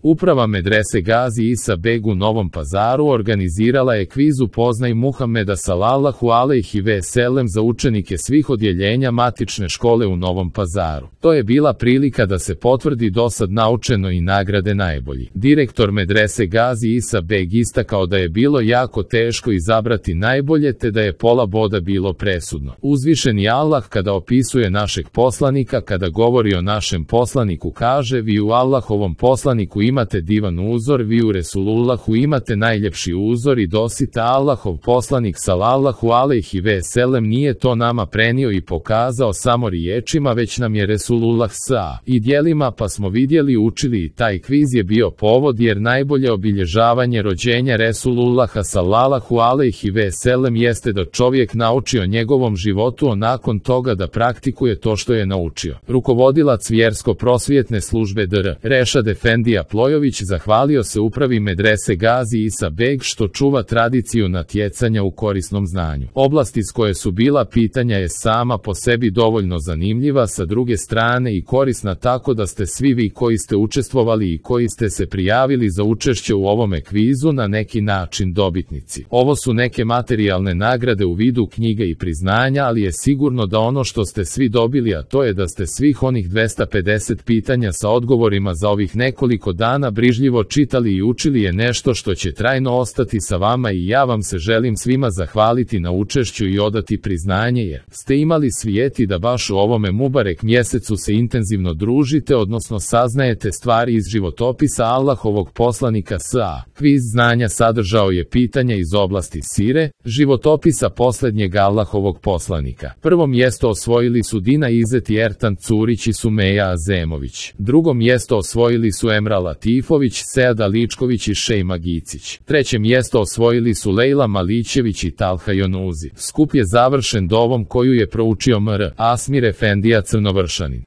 Uprava medrese Gazi Isa Beg u Novom Pazaru organizirala je kviz Upoznaj Muhameda sallallahu alejhi ve sellem za učenike svih odjeljenja matične škole u Novom Pazaru. To je bila prilika da se potvrdi dosad naučeno i nagrade najbolji. Direktor medrese Gazi Isa Beg istakao da je bilo jako teško izabrati najbolje te da je pola boda bilo presudno. Uzvišeni Allah kada opisuje našeg poslanika, kada govori o našem poslaniku kaže: vi u Allahovom poslaniku imate divan uzor, vi u Resulullahu imate najljepši uzor i dosita Allahov poslanik sallallahu alejhi ve sellem nije to nama prenio i pokazao samo riječima, već nam je Resulullah sa i djelima, pa smo vidjeli, učili i taj kviz je bio povod jer najbolje obilježavanje rođenja Resulullaha sallallahu alejhi ve sellem jeste da čovjek nauči o njegovom životu, a nakon toga da praktikuje to što je naučio. Rukovodilac vjersko-prosvjetne službe Dr. Rešad Efendija Plojović zahvalio se upravi medrese Gazi Isa Beg što čuva tradiciju natjecanja u korisnom znanju. Oblast iz koje su bila pitanja je sama po sebi dovoljno zanimljiva, sa druge strane i korisna, tako da ste svi vi koji ste učestvovali i koji ste se prijavili za učešće u ovome kvizu na neki način dobitnici. Ovo su neke materijalne nagrade u vidu knjiga i priznanja, ali je sigurno da ono što ste svi dobili, a to je da ste svih onih 250 pitanja sa odgovorima za ovih nekoliko dana brižljivo čitali i učili, je nešto što će trajno ostati sa vama i ja vam se želim svima zahvaliti na učešću i odati priznanje jer ste imali svijeti da baš u ovome Mubarek mjesecu se intenzivno družite, odnosno saznajete stvari iz životopisa Allahovog poslanika sa. Kviz znanja sadržao je pitanja iz oblasti sire, životopisa posljednjeg Allahovog poslanika. Prvo mjesto osvojili su Dina Izet i Ertan Curić i Sumeja Azemović. Drugo mjesto osvojili su Emra Latifović, Seada Ličković i Šejma Gicić. Treće mjesto osvojili su Lejla Malićević i Talha Jonuzi. Skup je završen dovom koju je proučio Mr. Asmir Efendija Crnovršanin.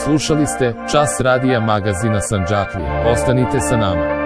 Slušali ste Čas radija magazina Sandžaklija. Ostanite sa nama.